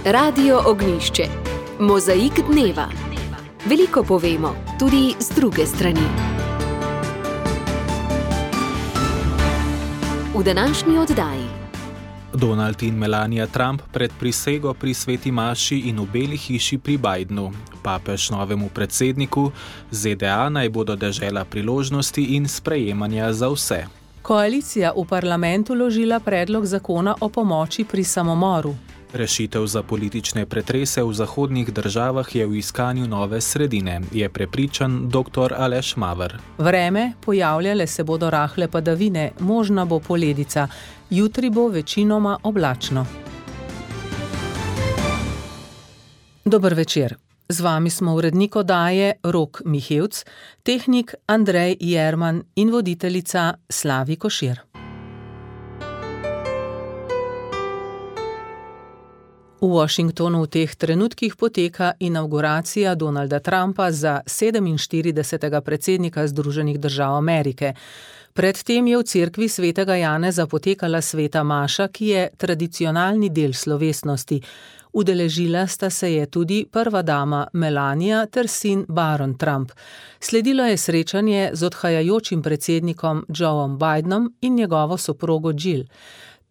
Radio Ognjišče. Mozaik dneva. Veliko povemo, tudi z druge strani. V današnji oddaji. Donald in Melania Trump pred prisego pri Sveti maši in v Beli hiši pri Bidenu. Papež novemu predsedniku, ZDA naj bodo dežela priložnosti in sprejemanja za vse. Koalicija v parlamentu vložila predlog zakona o pomoči pri samomoru. Rešitev za politične pretrese v zahodnih državah je v iskanju nove sredine, je prepričan dr. Aleš Maver. Vreme, pojavljale se bodo rahle padavine, možna bo poledica. Jutri bo večinoma oblačno. Dober večer. Z vami smo urednik oddaje Rok Mihevc, tehnik Andrej Jerman in voditeljica Slavi Košir. V Washingtonu v teh trenutkih poteka inavguracija Donalda Trumpa za 47. predsednika Združenih držav Amerike. Predtem je v cerkvi svetega Janeza potekala sveta maša, ki je tradicionalni del slovesnosti. Udeležila sta se je tudi prva dama Melania ter sin Baron Trump. Sledilo je srečanje z odhajajočim predsednikom Joeom Bidenom in njegovo soprogo Jill.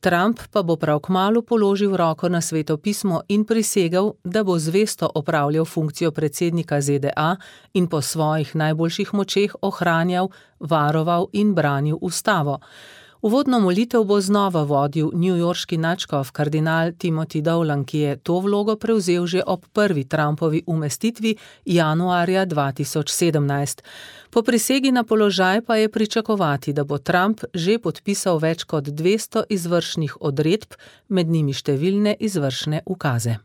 Trump pa bo prav kmalu položil roko na Sveto pismo in prisegel, da bo zvesto opravljal funkcijo predsednika ZDA in po svojih najboljših močeh ohranjal, varoval in branil ustavo. Uvodno molitev bo znova vodil newyorški nadškof kardinal Timothy Dolan, ki je to vlogo prevzel že ob prvi Trumpovi umestitvi januarja 2017. Po prisegi na položaj pa je pričakovati, da bo Trump že podpisal več kot 200 izvršnih odredb, med njimi številne izvršne ukaze.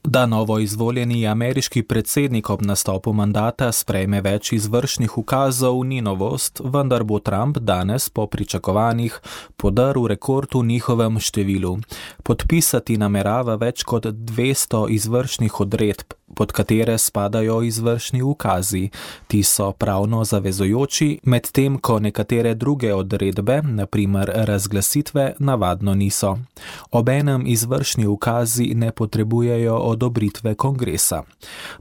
Da novo izvoljeni ameriški predsednik ob nastopu mandata sprejme več izvršnih ukazov, ni novost, vendar bo Trump danes po pričakovanjih podaril rekord v njihovem številu. Podpisati namerava več kot 200 izvršnih odredb, pod katere spadajo izvršni ukazi. Ti so pravno zavezujoči, medtem ko nekatere druge odredbe, na primer razglasitve, navadno niso. Obenem izvršni ukazi ne potrebujejo odobritve kongresa.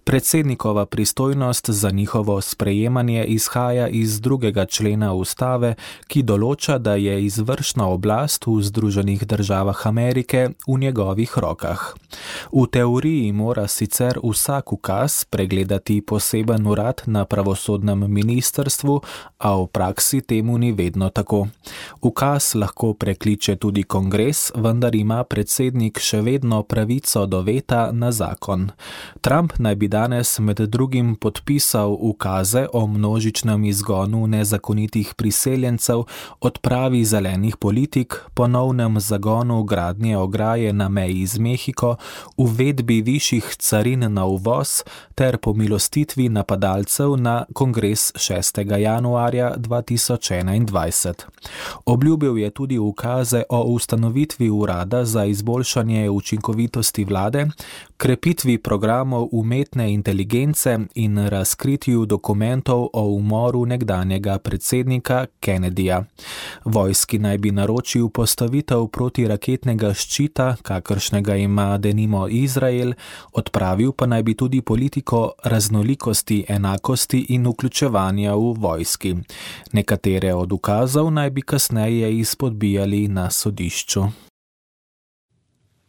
Predsednikova pristojnost za njihovo sprejemanje izhaja iz 2. člena ustave, ki določa, da je izvršna oblast v Združenih državah Amerike v njegovih rokah. V teoriji mora sicer vsak ukaz pregledati poseben urad na pravosodnem ministrstvu, a v praksi temu ni vedno tako. Ukaz lahko prekliče tudi kongres, vendar ima predsednik še vedno pravico do veta na zakon. Trump naj bi danes med drugim podpisal ukaze o množičnem izgonu nezakonitih priseljencev, odpravi zelenih politik, ponovnem zagonu gradnje ograje na meji z Mehiko, uvedbi višjih carin na uvoz ter pomilostitvi napadalcev na kongres 6. januarja 2021. Obljubil je tudi ukaze o ustanovitvi urada za izboljšanje učinkovitosti vlade, krepitvi programov umetne inteligence in razkritju dokumentov o umoru nekdanjega predsednika Kennedyja. Vojski naj bi naročil postavitev protiraketnega ščita, kakršnega ima denimo Izrael, odpravil pa naj bi tudi politiko raznolikosti, enakosti in vključevanja v vojski. Nekatere od ukazov naj bi kasneje izpodbijali na sodišču.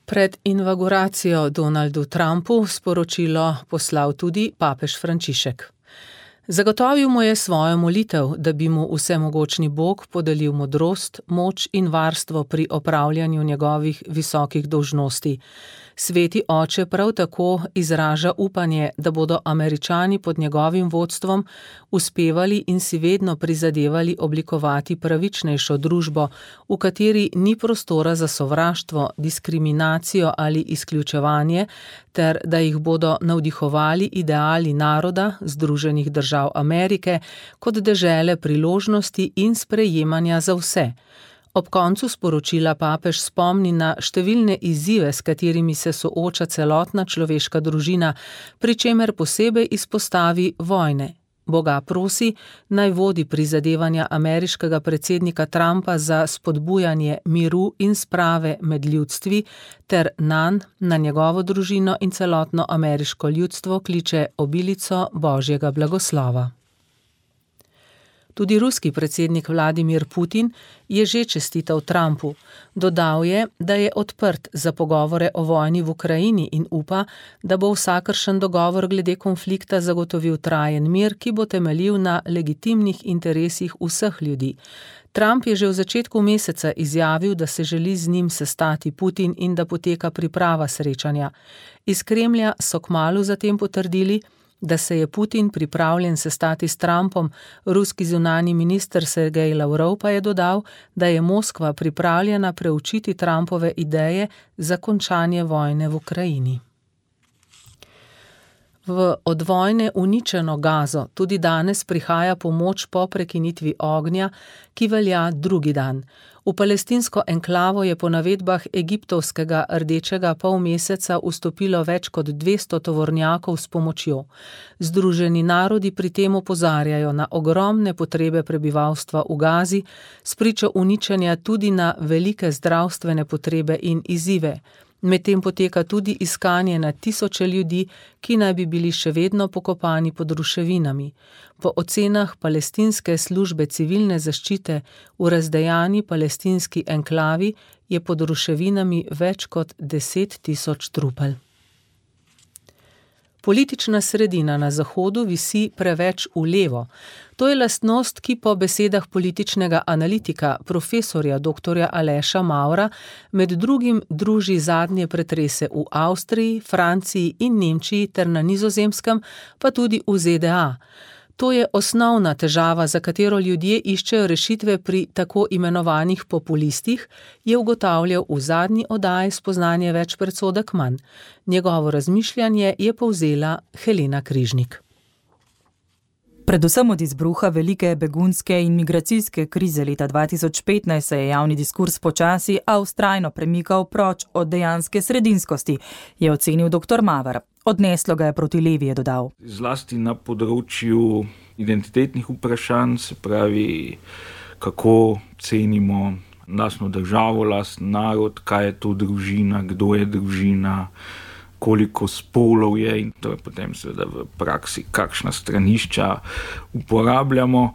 Pred inavguracijo Donaldu Trumpu sporočilo poslal tudi papež Frančišek. Zagotovil mu je svojo molitev, da bi mu vsemogočni Bog podelil modrost, moč in varstvo pri opravljanju njegovih visokih dolžnosti. Sveti oče prav tako izraža upanje, da bodo Američani pod njegovim vodstvom uspevali in si vedno prizadevali oblikovati pravičnejšo družbo, v kateri ni prostora za sovraštvo, diskriminacijo ali izključevanje, ter da jih bodo navdihovali ideali naroda Združenih držav Amerike kot dežele priložnosti in sprejemanja za vse. Ob koncu sporočila papež spomni na številne izzive, s katerimi se sooča celotna človeška družina, pri čemer posebej izpostavi vojne. Boga prosi, naj vodi prizadevanja ameriškega predsednika Trumpa za spodbujanje miru in sprave med ljudstvi ter nanj, na njegovo družino in celotno ameriško ljudstvo kliče obilico Božjega blagoslova. Tudi ruski predsednik Vladimir Putin je že čestital Trumpu. Dodal je, da je odprt za pogovore o vojni v Ukrajini in upa, da bo vsakršen dogovor glede konflikta zagotovil trajen mir, ki bo temeljil na legitimnih interesih vseh ljudi. Trump je že v začetku meseca izjavil, da se želi z njim sestati Putin in da poteka priprava srečanja. Iz Kremlja so kmalu zatem potrdili, da se je Putin pripravljen sestati s Trumpom, ruski zunanji minister Sergej Lavrov pa je dodal, da je Moskva pripravljena preučiti Trumpove ideje za končanje vojne v Ukrajini. V od vojne uničeno Gazo tudi danes prihaja pomoč po prekinitvi ognja, ki velja drugi dan. V palestinsko enklavo je po navedbah egiptovskega rdečega polmeseca vstopilo več kot 200 tovornjakov s pomočjo. Združeni narodi pri tem opozarjajo na ogromne potrebe prebivalstva v Gazi, spričo uničenja tudi na velike zdravstvene potrebe in izzive. Medtem poteka tudi iskanje na tisoče ljudi, ki naj bi bili še vedno pokopani pod ruševinami. Po ocenah palestinske službe civilne zaščite v razdejani palestinski enklavi je pod ruševinami več kot 10 tisoč trupel. Politična sredina na Zahodu visi preveč v levo. To je lastnost, ki po besedah političnega analitika, profesorja dr. Aleša Mavra, med drugim druži zadnje pretrese v Avstriji, Franciji in Nemčiji ter na Nizozemskem, pa tudi v ZDA. To je osnovna težava, za katero ljudje iščejo rešitve pri tako imenovanih populistih, je ugotavljal v zadnji oddaji Spoznanje več predsodek manj. Njegovo razmišljanje je povzela Helena Križnik. Predvsem od izbruha velike begunske in migracijske krize leta 2015 se je javni diskurs počasi, a vztrajno premikal proč od dejanske sredinskosti, je ocenil dr. Maver. Odneslo ga je proti levi, je dodal. Zlasti na področju identitetnih vprašanj, se pravi, kako cenimo lastno državo, lastni narod, kaj je to družina, kdo je družina, koliko spolov je in to je potem seveda v praksi, kakšna stranišča uporabljamo.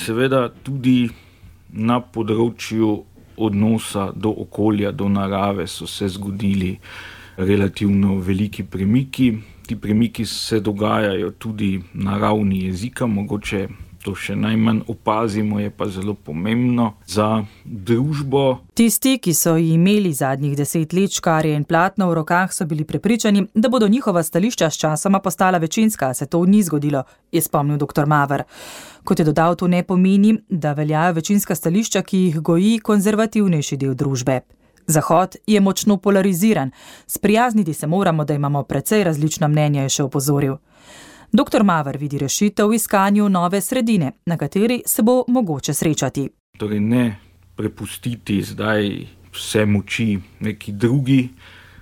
Seveda tudi na področju odnosa do okolja, do narave so se zgodili relativno veliki premiki. Ti premiki se dogajajo tudi na ravni jezika, mogoče to še najmanj opazimo, je pa zelo pomembno za družbo. Tisti, ki so imeli zadnjih 10 let škarje in platno v rokah, so bili prepričani, da bodo njihova stališča s časoma postala večinska, a se to ni zgodilo, je spomnil dr. Maver. Kot je dodal, to ne pomeni, da veljajo večinska stališča, ki jih goji konzervativnejši del družbe. Zahod je močno polariziran. Sprijazniti se moramo, da imamo precej različna mnenja, je še opozoril. Dr. Maver vidi rešitev v iskanju nove sredine, na kateri se bo mogoče srečati. Torej ne prepustiti zdaj vse moči neki drugi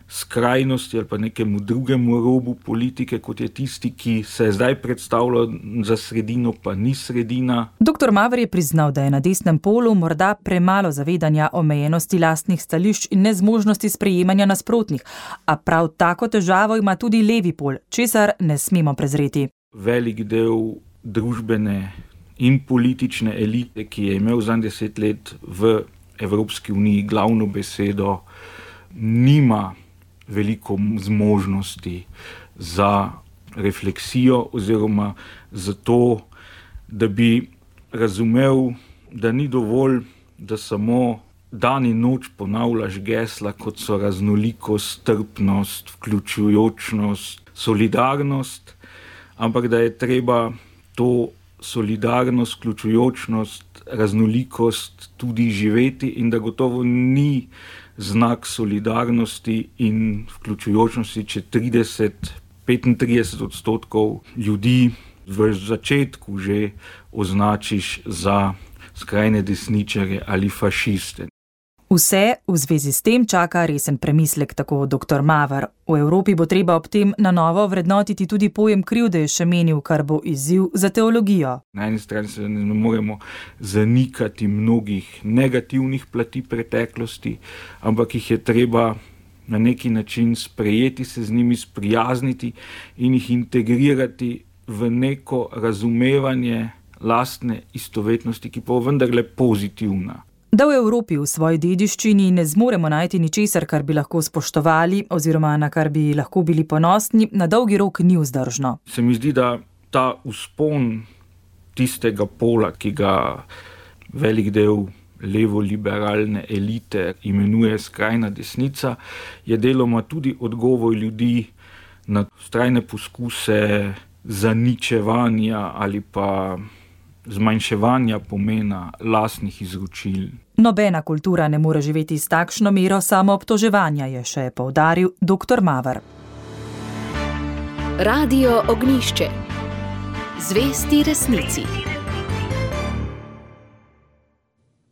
skrajnosti ali pa nekemu drugemu robu politike, kot je tisti, ki se zdaj predstavlja za sredino, pa ni sredina. Dr. Maver je priznal, da je na desnem polu morda premalo zavedanja omejenosti lastnih stališč in nezmožnosti sprejemanja nasprotnih, a prav tako težavo ima tudi levi pol, česar ne smemo prezreti. Velik del družbene in politične elite, ki je imel zadnjih 10 let v Evropski uniji glavno besedo, nima veliko zmožnosti za refleksijo oziroma za to, da bi razumel, da ni dovolj, da samo dan in noč ponavljaš gesla, kot so raznolikost, strpnost, vključujočnost, solidarnost, ampak da je treba to solidarnost, vključujočnost, raznolikost tudi živeti in da gotovo ni znak solidarnosti in vključujočnosti, če 35% ljudi v začetku že označiš za skrajne desničarje ali fašiste. Vse v zvezi s tem čaka resen premislek, tako dr. Maver. V Evropi bo treba ob tem na novo vrednotiti tudi pojem krivde, je še menil, kar bo izziv za teologijo. Na eni strani se ne moremo zanikati mnogih negativnih plati preteklosti, ampak jih je treba na neki način sprejeti, se z njimi sprijazniti in jih integrirati v neko razumevanje lastne istovetnosti, ki pa je vendarle pozitivna. Da v Evropi v svoji dediščini ne zmoremo najti ničesar, kar bi lahko spoštovali oziroma na kar bi lahko bili ponosni, na dolgi rok ni vzdržno. Se mi zdi, da ta vzpon tistega pola, ki ga velik del levo-liberalne elite imenuje skrajna desnica, je deloma tudi odgovor ljudi na vztrajne poskuse zaničevanja ali pa zmanjševanja pomena lastnih izročil. Nobena kultura ne more živeti s takšno mero samoobtoževanja, je še poudaril dr. Maver. Radio Ognjišče. Zvesti resnici.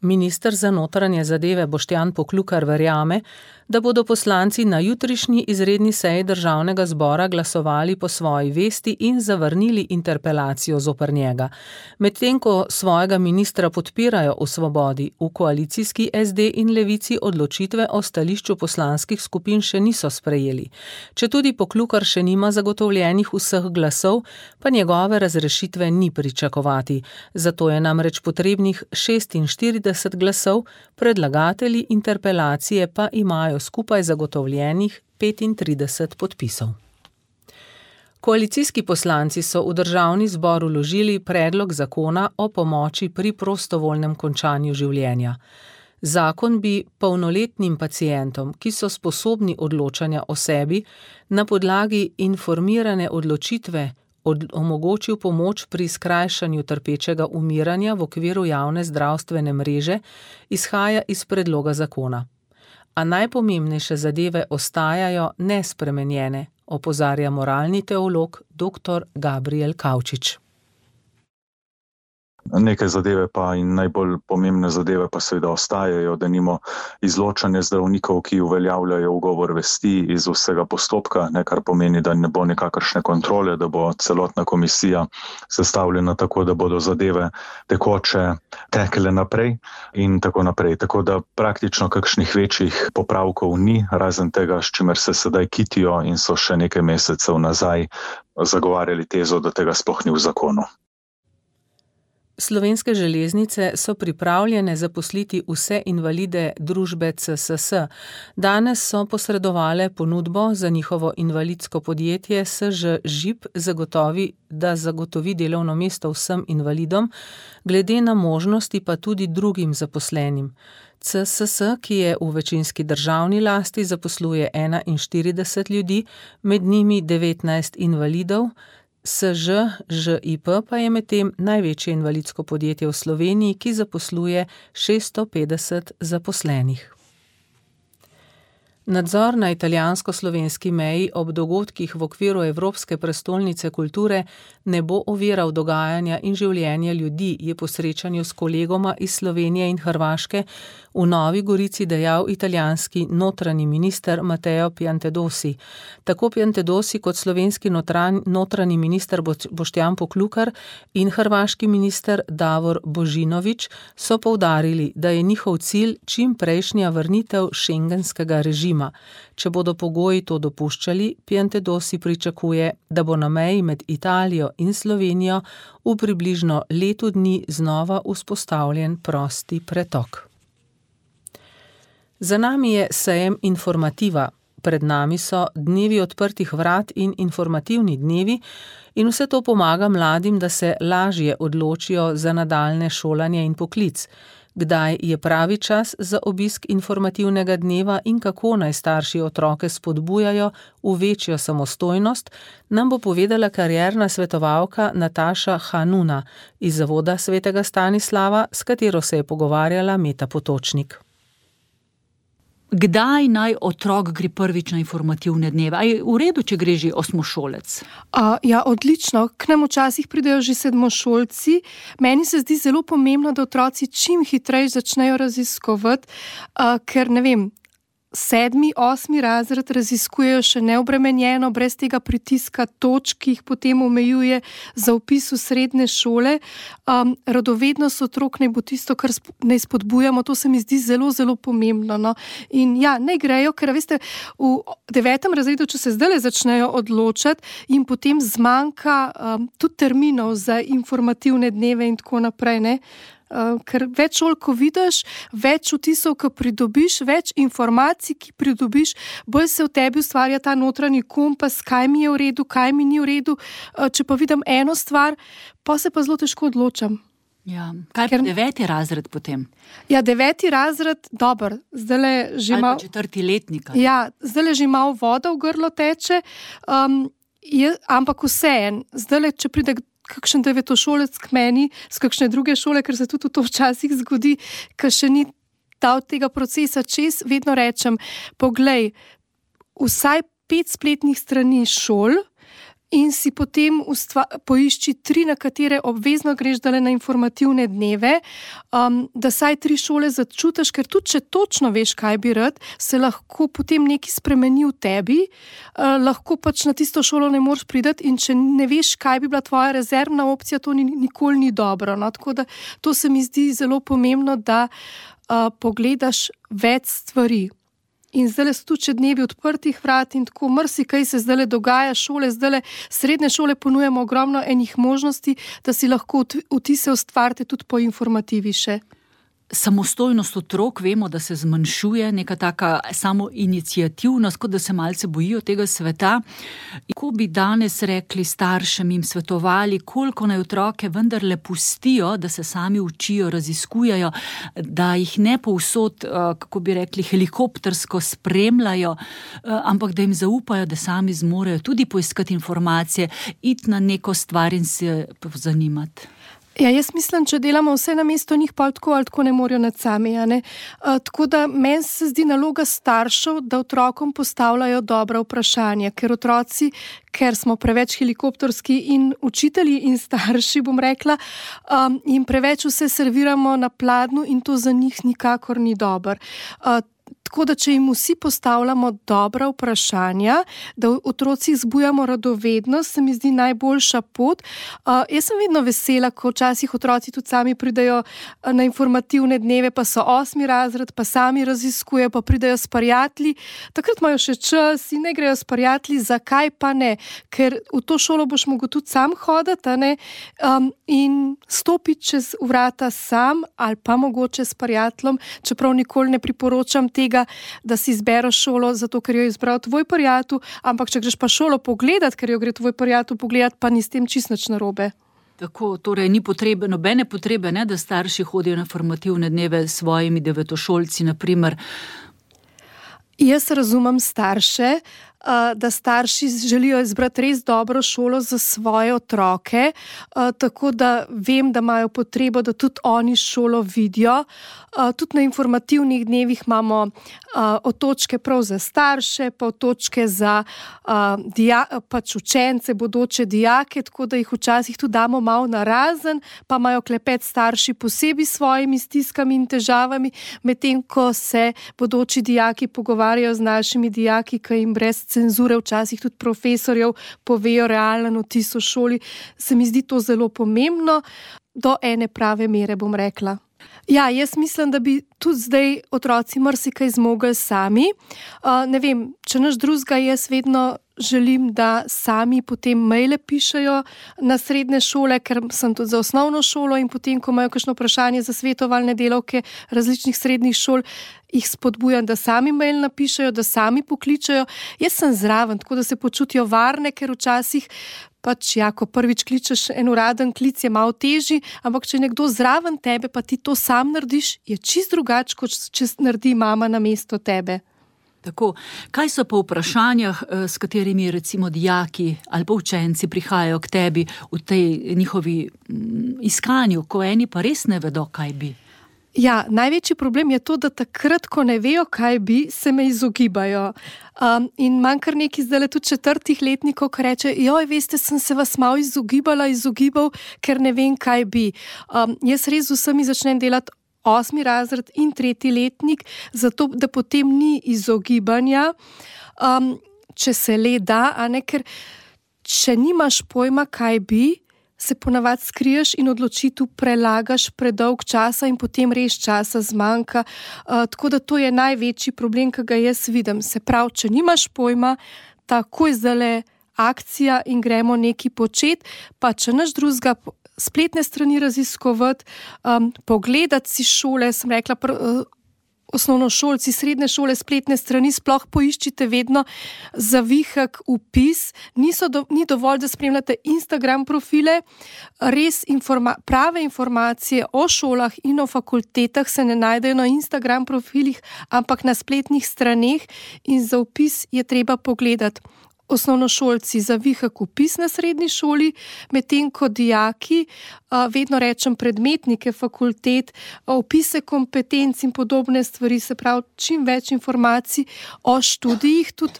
Minister za notranje zadeve Boštjan Poklukar verjame, da bodo poslanci na jutrišnji izredni seji Državnega zbora glasovali po svoji vesti in zavrnili interpelacijo zoper njega. Medtem ko svojega ministra podpirajo v Svobodi, v koalicijski SD in Levici odločitve o stališču poslanskih skupin še niso sprejeli. Četudi Poklukar še nima zagotovljenih vseh glasov, pa njegove razrešitve ni pričakovati. Zato je namreč potrebnih 46 glasov, predlagatelji interpelacije pa imajo skupaj zagotovljenih 35 podpisov. Koalicijski poslanci so v Državni zbor vložili predlog zakona o pomoči pri prostovoljnem končanju življenja. Zakon bi polnoletnim pacientom, ki so sposobni odločanja o sebi, na podlagi informirane odločitve omogočil pomoč pri skrajšanju trpečega umiranja v okviru javne zdravstvene mreže, izhaja iz predloga zakona. A najpomembnejše zadeve ostajajo nespremenjene, opozarja moralni teolog dr. Gabriel Kavčič. Neke zadeve pa in najbolj pomembne zadeve pa seveda ostajajo, denimo izločanje zdravnikov, ki uveljavljajo ugovor vesti iz vsega postopka, kar pomeni, da ne bo nekakršne kontrole, da bo celotna komisija sestavljena tako, da bodo zadeve tekoče tekle naprej in tako naprej. Tako da praktično kakšnih večjih popravkov ni, razen tega, s čimer se sedaj kitijo in so še nekaj mesecev nazaj zagovarjali tezo, da tega sploh ni v zakonu. Slovenske železnice so pripravljene zaposliti vse invalide družbe CSS. Danes so posredovale ponudbo za njihovo invalidsko podjetje SŽ Žip zagotovi delovno mesto vsem invalidom, glede na možnosti pa tudi drugim zaposlenim. CSS, ki je v večinski državni lasti, zaposluje 41 ljudi, med njimi 19 invalidov, SŽ Žip pa je medtem največje invalidsko podjetje v Sloveniji, ki zaposluje 650 zaposlenih. Nadzor na italijansko-slovenski meji ob dogodkih v okviru Evropske prestolnice kulture ne bo oviral dogajanja in življenja ljudi, je po srečanju s kolegoma iz Slovenije in Hrvaške v Novi Gorici dejal italijanski notranji minister Matteo Piantedosi. Tako Piantedosi kot slovenski notranji minister Boštjan Poklukar in hrvaški minister Davor Božinović so poudarili, da je njihov cilj čim prejšnja vrnitev šengenskega režima. Če bodo pogoji to dopuščali, Piantedosi pričakuje, da bo na meji med Italijo in Slovenijo v približno letu dni znova vzpostavljen prosti pretok. Za nami je sejem Informativa. Pred nami so dnevi odprtih vrat in informativni dnevi in vse to pomaga mladim, da se lažje odločijo za nadaljnje šolanje in poklic. Kdaj je pravi čas za obisk informativnega dneva in kako naj starši otroke spodbujajo v večjo samostojnost, nam bo povedala karierna svetovalka Nataša Hanuna iz Zavoda svetega Stanislava, s katero se je pogovarjala Meta Potočnik. Kdaj naj otrok gre prvič na informativne dneve? A je v redu, če gre že osmošolec? Ja, odlično. K nam včasih pridejo že sedmošolci. Meni se zdi zelo pomembno, da otroci čim hitreje začnejo raziskovati, ker ne vem, 7., 8. razred raziskujejo še neobremenjeno, brez tega pritiska točk, ki jih potem omejuje za vpis v srednje šole. Radovednost otrok naj bo tisto, kar naj spodbujamo, to se mi zdi zelo, zelo pomembno. No. In ja, ne grejo, ker veste, v 9. razredu, če se zdaj začnejo odločati, jim potem zmanjka tudi terminov za informativne dneve in tako naprej, ne. Ker več šol, ko vidiš, več vtisov, ko pridobiš, več informacij, ki pridobiš, bolj se v tebi ustvarja ta notranji kompas, kaj mi je v redu, kaj mi ni v redu. Če pa vidim eno stvar, pa se pa zelo težko odločam. Ja. Kaj pa 9. razred potem? Ja, 9. razred, dobro, zdajle že malo... Ali pa 4. letnika. Ja, zdajle že malo voda v grlo teče, ampak vseeno, zdajle, če pride kakšen devetošolec k meni z kakšne druge šole, ker se tudi to včasih zgodi, ker še ni dal tega procesa čez, vedno rečem, poglej, vsaj 5 spletnih strani šol in si potem poišči 3, na katere obvezno greš dale na informativne dneve, da saj 3 šole začutiš, ker tudi če točno veš, kaj bi rad, se lahko potem nekaj spremeni v tebi, lahko pač na tisto šolo ne moreš priti in če ne veš, kaj bi bila tvoja rezervna opcija, to nikoli ni dobro. No? Tako da to se mi zdi zelo pomembno, da pogledaš več stvari. In zdaj so tudi dnevi odprtih vrat in tako marsikaj se zdaj dogaja, srednje šole ponujamo ogromno enih možnosti, da si lahko vtise ustvarite tudi po informativi še. Samostojnost otrok, vemo, da se zmanjšuje, neka taka samoiniciativnost, kot da se malce bojijo tega sveta. Ko bi danes rekli staršem, jim svetovali, koliko naj otroke vendarle pustijo, da se sami učijo, raziskujejo, da jih ne povsod, kako bi rekli, helikoptersko spremljajo, ampak da jim zaupajo, da sami zmorejo tudi poiskati informacije, iti na neko stvar in se pozanimati. Ja, jaz mislim, če delamo vse na mesto njih, pa tako ali tako ne morajo nad sami. Tako da meni se zdi naloga staršev, da otrokom postavljajo dobra vprašanja, ker smo preveč helikopterski in učitelji in starši, bom rekla, jim preveč vse serviramo na pladnju in to za njih nikakor ni dobro. Tako da, če jim vsi postavljamo dobra vprašanja, da v otrocih zbujamo radovednost, se mi zdi najboljša pot. Jaz sem vedno vesela, ko včasih otroci tudi sami pridejo na informativne dneve, pa so 8. razred, pa sami raziskujejo, pa pridejo s prijatelji. Takrat imajo še čas in ne grejo s prijatelji, zakaj pa ne? Ker v to šolo boš mogel tudi sam hoditi, in stopiti čez vrata sam ali pa mogoče s prijateljem, čeprav nikoli ne priporočam tega, da si izbereš šolo zato, ker jo je izbral tvoj prijatelj, ampak če greš pa šolo pogledati, ker jo gre tvoj prijatelj pogledati, pa ni s tem čisto nič narobe. Tako, torej ni potrebe, nobene potrebe, ne, da starši hodijo na formativne dneve s svojimi devetošolci, naprimer. Jaz razumem starše, da starši želijo izbrati res dobro šolo za svoje otroke, tako da vem, da imajo potrebo, da tudi oni šolo vidijo. Tudi na informativnih dnevih imamo otočke prav za starše, pa otočke za pač učence, bodoče dijake, tako da jih včasih tudi damo malo narazen, pa imajo klepet starši posebej s svojimi stiskami in težavami, medtem ko se bodoči dijaki pogovarjajo z našimi dijaki, ki jim brez cenzure včasih tudi profesorjev povejo realen vtis v šoli. Se mi zdi to zelo pomembno, do ene prave mere, bom rekla. Ja, jaz mislim, da bi tudi zdaj otroci marsikaj zmogli sami. Ne vem, če nič drugega, jaz vedno želim, da sami potem maile pišejo na srednje šole, ker sem tudi za osnovno šolo in potem, ko imajo kakšno vprašanje za svetovalne delavke različnih srednjih šol, jih spodbujam, da sami mail napišejo, da sami pokličejo. Jaz sem zraven, tako da se počutijo varne, ker včasih pač, ja, ko prvič kličeš en uraden klic, je malo težji, ampak če nekdo zraven tebe, pa ti to sam narediš, je čisto drugače, kot če naredi mama namesto tebe. Tako, kaj so pa vprašanjah, s katerimi recimo dijaki ali pa učenci prihajajo k tebi v tej njihovi iskanju, ko eni pa res ne vedo, kaj bi? Ja, največji problem je to, da takrat, ko ne vejo, kaj bi, se me izogibajo. In manj kar nekaj zdaj tudi 4. letnikov, ki reče, joj, veste, sem se vas malo izogibal, ker ne vem, kaj bi. Jaz res z vsemi začnem delati 8. razred in 3. letnik, zato da potem ni izogibanja, če se le da, ker če nimaš pojma, kaj bi, se ponavadi skriješ in odločitev prelagaš predolg časa in potem res časa zmanjka. Tako da to je največji problem, ki ga jaz vidim. Se pravi, če nimaš pojma, takoj zdajle akcija in gremo nekaj početi, pa če nič drugega, spletne strani raziskovati, pogledati si šole, sem rekla, osnovnošolci, srednje šole, spletne strani, sploh poiščite vedno zavihek vpis. Ni dovolj, da spremljate Instagram profile, res prave informacije o šolah in o fakultetah se ne najdejo na Instagram profilih, ampak na spletnih straneh in za vpis je treba pogledati. Osnovnošolci zavihek vpis na srednji šoli, medtem ko dijaki, vedno rečem predmetnike fakultet, vpise kompetenc in podobne stvari, se pravi, čim več informacij o študijih, tudi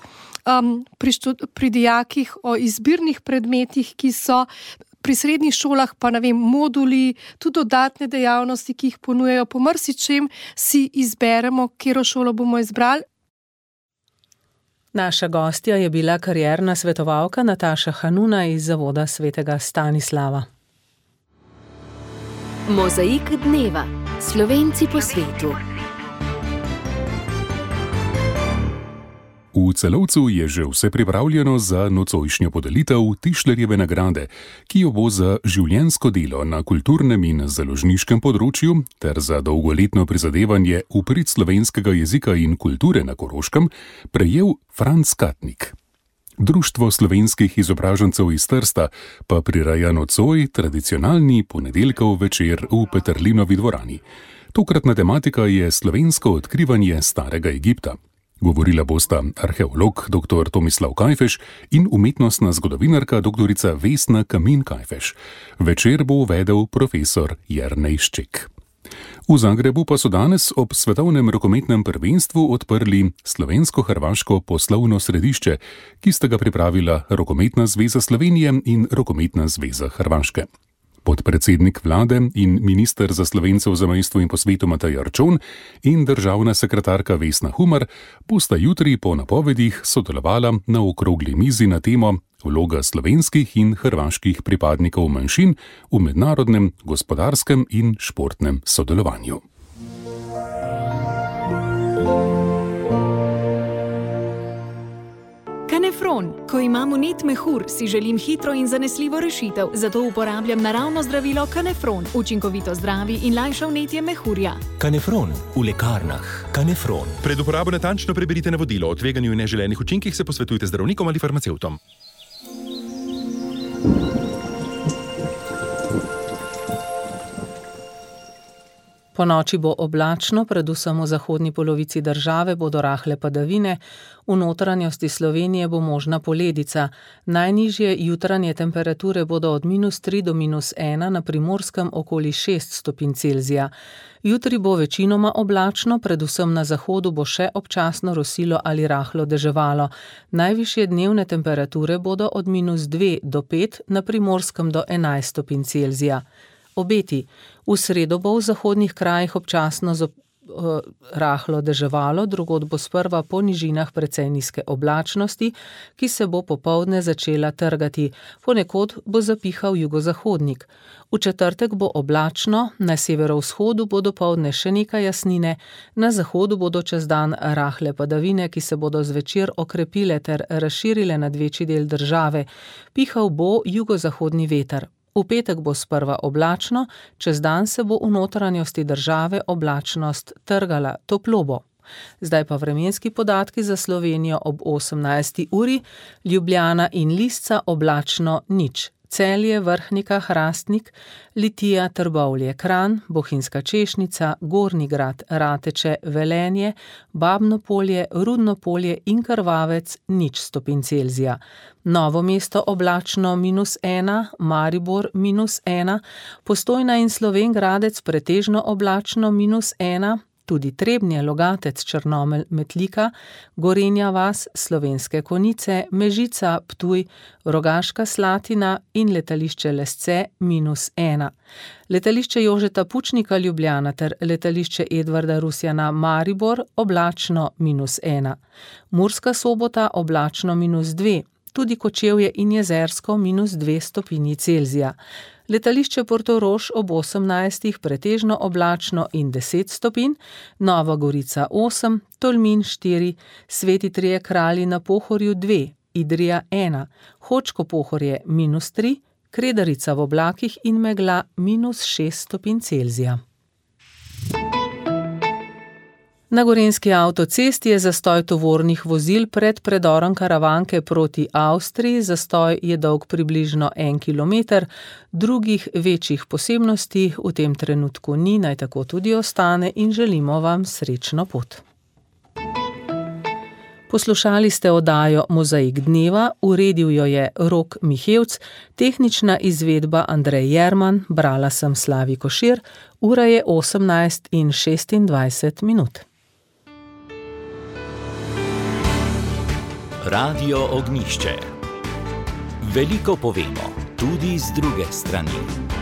pri dijakih o izbirnih predmetih, ki so pri srednjih šolah, pa moduli, tudi dodatne dejavnosti, ki jih ponujajo, po marsičem si izberemo, katero šolo bomo izbrali. Naša gostja je bila karierna svetovalka Nataša Hanuna iz Zavoda svetega Stanislava. Mozaik dneva. Slovenci po svetu. V Celovcu je že vse pripravljeno za nocojšnjo podelitev Tišlerjeve nagrade, ki jo bo za življenjsko delo na kulturnem in založniškem področju ter za dolgoletno prizadevanje v prid slovenskega jezika in kulture na Koroškem prejel Franc Katnik. Društvo slovenskih izobražencev iz Trsta pa prireja nocoj tradicionalni ponedeljkov večer v Peterlinovi dvorani. Tokratna tematika je slovensko odkrivanje starega Egipta. Govorila bosta arheolog dr. Tomislav Kajfeš in umetnostna zgodovinarka dr. Vesna Kamin-Kajfeš. Večer bo uvedel profesor Jernej Šček. V Zagrebu pa so danes ob svetovnem rokometnem prvenstvu odprli Slovensko-hrvaško poslovno središče, ki sta ga pripravila Rokometna zveza Slovenije in Rokometna zveza Hrvaške. Podpredsednik vlade in minister za Slovence v zamejstvu in po svetu Matej Arčon in državna sekretarka Vesna Humar bosta jutri po napovedih sodelovala na okrogli mizi na temo vloga slovenskih in hrvaških pripadnikov manjšin v mednarodnem, gospodarskem in športnem sodelovanju. Kanefron. Ko imam vnet mehur, si želim hitro in zanesljivo rešitev, zato uporabljam naravno zdravilo Kanefron. Učinkovito zdravi in lajša vnetje mehurja. Kanefron v lekarnah. Kanefron. Pred uporabo natančno preberite navodilo o tveganju in neželenih učinkih, se posvetujte z zdravnikom ali farmacevtom. Po noči bo oblačno, predvsem v zahodni polovici države bodo rahle padavine, v notranjosti Slovenije bo možna poledica. Najnižje jutranje temperature bodo od -3 do -1, na Primorskem okoli 6 stopinj Celzija. Jutri bo večinoma oblačno, predvsem na zahodu bo še občasno rosilo ali rahlo deževalo. Najvišje dnevne temperature bodo od -2 do 5, na Primorskem do 11 stopinj Celzija. Obeti. V sredo bo v zahodnih krajih občasno rahlo deževalo, drugod bo sprva po nižinah precej nizke oblačnosti, ki se bo popoldne začela trgati. Ponekod bo zapihal jugozahodnik. V četrtek bo oblačno, na severovzhodu bo dopoldne še nekaj jasnine, na zahodu bodo čez dan rahle padavine, ki se bodo zvečer okrepile ter razširile nad večji del države. Pihal bo jugozahodni veter. V petek bo sprva oblačno, čez dan se bo v notranjosti države oblačnost trgala, toplo bo. Zdaj pa vremenski podatki za Slovenijo ob 18. uri, Ljubljana in Lisca oblačno 0, Celje, Vrhnika, Hrastnik, Litija, Trbovlje, Kranj, Bohinjska Češnica, Gornji Grad, Rateče, Velenje, Babno Polje, Rudno Polje in Krvavec 0 stopinj Celzija. Novo mesto oblačno -1, Maribor -1, Postojna in Slovenj Gradec pretežno oblačno -1, tudi Trebnje, Logatec, Črnomelj, Metlika, Gorenja vas, Slovenske Konjice, Mežica, Ptuj, Rogaška Slatina in letališče Lesce -1. Letališče Jožeta Pučnika Ljubljana ter letališče Edvarda Rusjana Maribor oblačno -1. Murska Sobota oblačno -2. Tudi Kočevje in Jezersko -2 stopinji Celzija. Letališče Portorož ob 18 pretežno oblačno in 10 stopinj, Nova Gorica 8, Tolmin 4, Sveti Trije Kralji na Pohorju 2, Idrija 1, Hočko Pohorje -3, Kredarica v oblakih in megla -6 stopinj Celzija. Na Gorenjski avtocesti je zastoj tovornih vozil pred predorom Karavanke proti Avstriji. Zastoj je dolg približno 1 kilometer. Drugih večjih posebnosti v tem trenutku ni, naj tako tudi ostane in želimo vam srečno pot. Poslušali ste oddajo Mozaik dneva, uredil jo je Rok Mihevc, tehnična izvedba Andrej Jerman, brala sem Slavi Košir, ura je 18:26. Radio Ognjišče. Veliko povemo, tudi z druge strani.